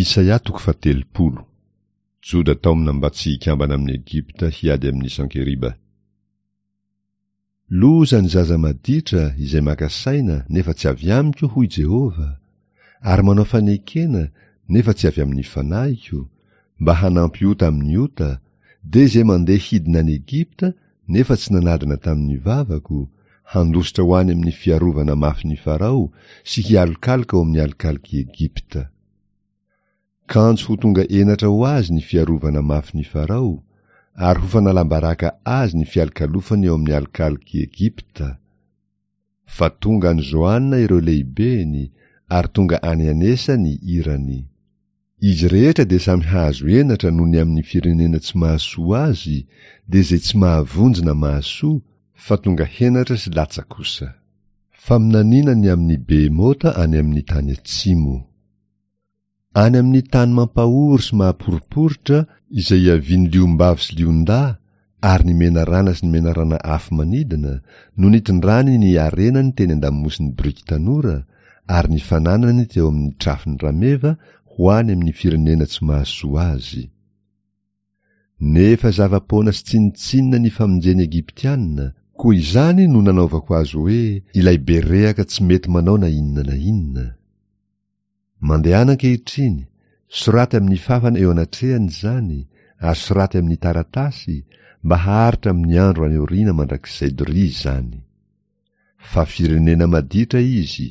Isaia toko fahatelopolo. Joda taomina mba tsy hikambana amin'i Egypta hiady amin'i Sankeriba. Loza ny zaza maditra izay maka saina nefa tsy avy amiko, hoy Jehovah, ary manao fanekena nefa tsy avy amin'ny fanahiko, mba hanampy ota amin'ny ota, dia izay mandeha hidina any Egypta nefa tsy nanadina tamin'ny vavako, handositra ho any amin'ny fiarovana mafin'i Farao sy hialokaloka ao amin'ny alokalok'i Egypta. Kanjo ho tonga henatra ho azy ny fiarovana mafin'i Farao, ary ho fanalam-baraka azy ny fialokalofany eo amin'ny alokalok'i Egypta. Fa tonga any Zoana ireo lehibeny, ary tonga any Anesa ny irany. Izy rehetra dia samy hahazo henatra noho ny amin'ny firenena tsy mahasoa azy, dia izay tsy mahavonjy na mahasoa, fa tonga henatra sy latsa kosa. Faminaniana ny amin'ny Behemota any amin'ny tany atsimo. Any amin'ny tany mampahory sy mahaporiporitra izay iavian'ny liom-bavy sy lion-dahy ary ny menarana sy ny menarana afo manidina no nitondrany ny harenany teny an-damosin'ny biriky tanora ary ny fananany teo amin'ny trafon'ny rameva ho any amin'ny firenena tsy mahasoa azy. Nefa zava-poana sy tsinontsinona ny famonjen'ny Egyptiana, koa izany no nanaovako azy hoe ilay be rehaka tsy mety manao na inona na inona. Mandehana ankehitriny, soraty amin'ny fafana eo anatrehany izany, ary soraty amin'ny taratasy, mba haharitra amin'ny andro any aoriana mandrakizay doria izany. Fa firenena maditra izy,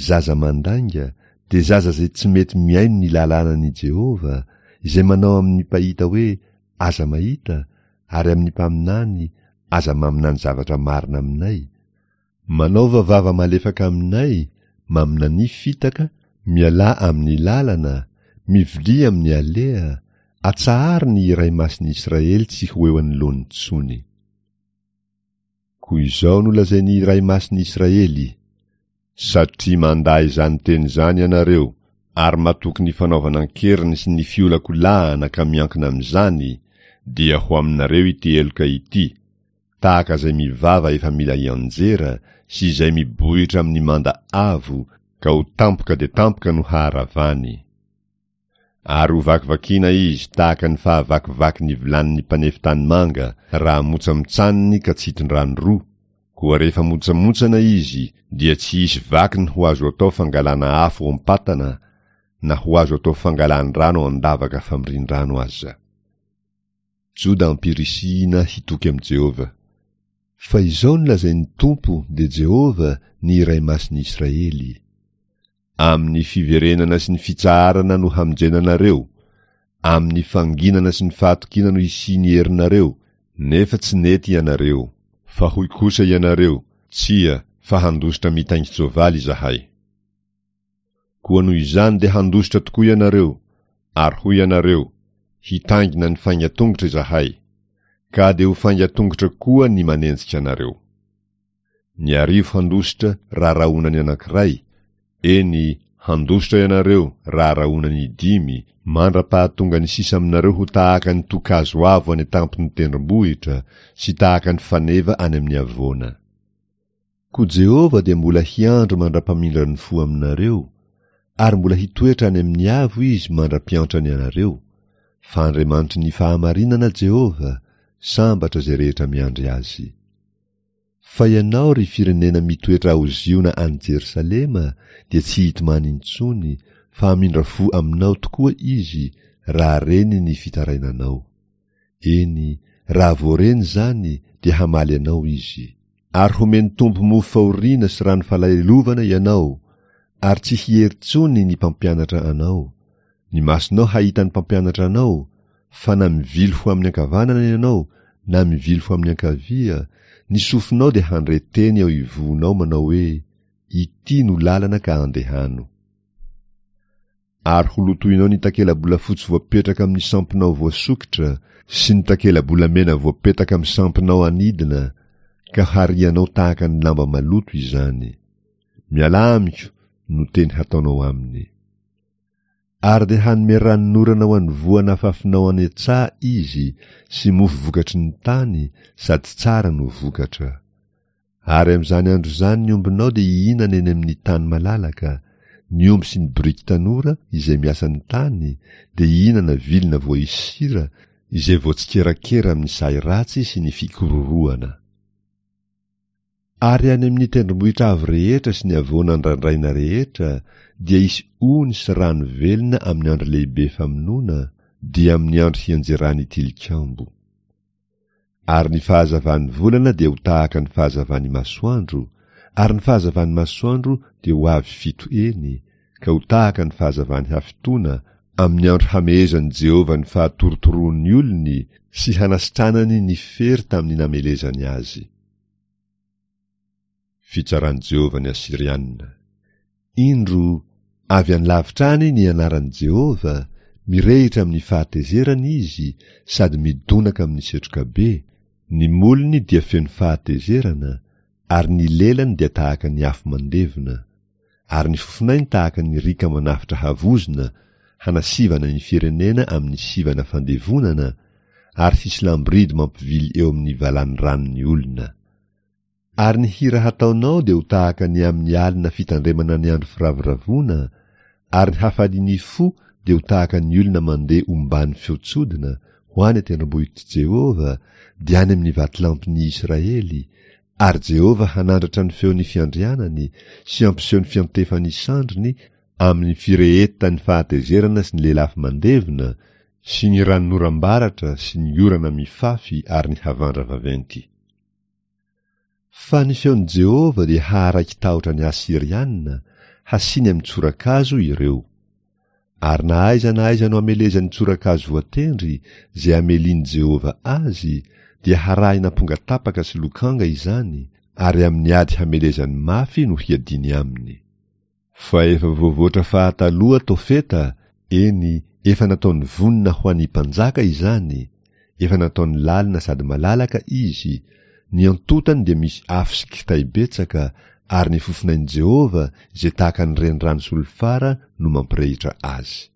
zaza mandainga, dia zaza izay tsy mety mihaino ny lalànan'i Jehovah, izay manao amin'ny mpahita hoe, Aza mahita, ary amin'ny mpaminany, Aza maminany zavatra marina aminay, Manaova vava malefaka aminay, maminania fitaka, mialà amin'ny lalana, mivilia amin'ny aleha, atsaharo ny Iray Masin'ny Israely tsy ho eo anoloany intsony. Koa izao no lazain'ny Iray Masin'ny Israely, Satria mandà izany teny izany ianareo, ary matoky ny fanaovana an-keriny sy ny fiolakolahana ka miankina amin'izany, dia ho aminareo ity heloka ity, tahaka izay mivava efa mila hianjera sy izay mibohitra amin'ny manda avo ka ho tampoka dia tampoka no haharavany. Ary ho vakivakiana izy tahaka ny fahavakivaky ny vilanin'ny mpanefy tanimanga raha montsamontsaniny ka tsy hitondrany roa, koa rehefa montsamontsana izy dia tsy hisy vakiny ho azo atao fangalana afo ao am-patana na ho azo atao fangalan-drano ao an-davaka famorian-drano aza. Joda ampirisihina hitoky amin'i Jehovah. Fa izao no lazain'ny Tompo, dia Jehovah, ny Iray Masin'ny Israely, Amin'ny fiverenana sy ny fitsaharana no hamonjena anareo, amin'ny fanginana sy ny fahatokiana no hisian'ny herinareo, nefa tsy nety ianareo. Fa hoy kosa ianareo, Tsia, fa handositra mitaingin-tsoavaly izahay. Koa noho izany dia handositra tokoa ianareo, ary hoy ianareo, Hitaingina ny faingan-tongotra izahay. Ka dia ho faingan-tongotra koa ny manenjika anareo. Ny arivo handositra raha rahona ny anankiray, eny, handositra ianareo raha rahona ny dimy, mandra-pahatonga ny sisa aminareo ho tahaka ny tokazo avo any an-tampon'ny tendrombohitra sy tahaka ny faneva any amin'ny havoana. Koa Jehovah dia mbola hiandry mandra-pamindrany fo aminareo, ary mbola hitoetra any amin'ny avo Izy mandra-piantrany anareo, fa Andriamanitry ny fahamarinana Jehovah, sambatra izay rehetra miandry Azy. Fa ianao, ry firenena mitoetra ao Ziona any Jerosalema, dia tsy hitomany intsony, fa hamindra fo aminao tokoa Izy, raha reny ny fitarainanao. Eny, raha voareny izany, dia hamaly anao Izy. Ary homen'ny Tompo mofo fahoriana sy rano falahelovana ianao, ary tsy hiery intsony ny mpampianatra anao. Ny masonao hahita ny mpampianatra anao, fa na mivily ho amin'ny ankavanana ianao na mivily ho amin'ny ankavia, ny sofinao dia handre teny eo ivohonao manao hoe, Ity no lalana ka andehano. Ary ho lotoinao ny takela-bolafotsy voapetraka amin'ny sampinao voasokitra sy ny takela-bolamena voapetaka amin'ny sampinao anidina, ka harianao tahaka ny lamba maloto izany. Mialà amiko no teny hataonao aminy. Ary dia hanome ranonorana ho an'ny voa nafafinao any an-tsaha izy sy mofo vokatry ny tany sady tsara no vokatra. Ary amin'izany andro izany ny ombinao dia hihinana eny amin'ny tany malalaka, Ny omby sy ny boriky tanora izay miasa ny tany dia hihinana vilona voaisy sira izay voatsikerakera amin'ny sahy ratsy sy ny fikororohana. Ary any amin'ny tendrombohitra avo rehetra sy ny havoana andrandraina rehetra dia hisy ony sy rano velona amin'ny andro lehibe famonoana, dia amin'ny andro hianjeran'ny tilikambo. Ary ny fahazavan'ny volana dia ho tahaka ny fahazavan'ny masoandro, ary ny fahazavan'ny masoandro dia ho avy fito heny, ka ho tahaka ny fahazavan'ny hafitoana, amin'ny andro hamehezan'i Jehovah ny fahatorotoroan'ny olony sy hanasitranany ny fery tamin'ny namelezany azy. Fitsaran'i Jehovah ny Asyriana. Indro, avy any lavitra any ny anaran'i Jehovah, mirehitra amin'ny fahatezerana izy sady midonaka amin'ny setroka be, ny molony dia feno fahatezerana, ary ny lelany dia tahaka ny afo mandevona, ary ny fofonainy tahaka ny riaka manafotra havozona hanasivana ny firenena amin'ny sivana fandevonana, ary hisy lamboridy mampivily eo amin'ny valanoranon'ny olona. Ary ny hira hataonao dia ho tahaka ny amin'ny alina fitandremana ny andro firavoravoana, ary ny hafalian'ny fo dia ho tahaka ny olona mandeha omban'ny feon-tsodina ho any an-tendrombohitr'i Jehovah, dia any amin'ny vatolampin'ny Israely, ary Jehovah hanandratra ny feon'ny fiandrianany sy hampiseho ny fiantefan'ny sandriny amin'ny firehetan'ny fahatezerana sy ny lelafo mandevona sy ny ranonoram-baratra sy ny orana mifafy ary ny havandra vaventy. Fa ny feon'i Jehovah dia haharaiki-tahotra ny Asyriana, hasiany amin'ny tsorakazo ireo. Ary na aiza na aiza no amelezan'ny tsorakazo voatendry izay amelian'i Jehovah azy, dia harahina ampongatapaka sy lokanga izany, ary amin'ny ady hamelezany mafy no hiadiany aminy. Fa efa voavoatra fahataloha Tofeta, eny, efa nataony vonona ho an'ny mpanjaka izany, efa nataony lalina sady malalaka izy, ny antontany dia misy afo sy kitay betsaka, ary ny fofonain'i Jehovah izay tahaka ny renirano solifara no mampirehitra azy.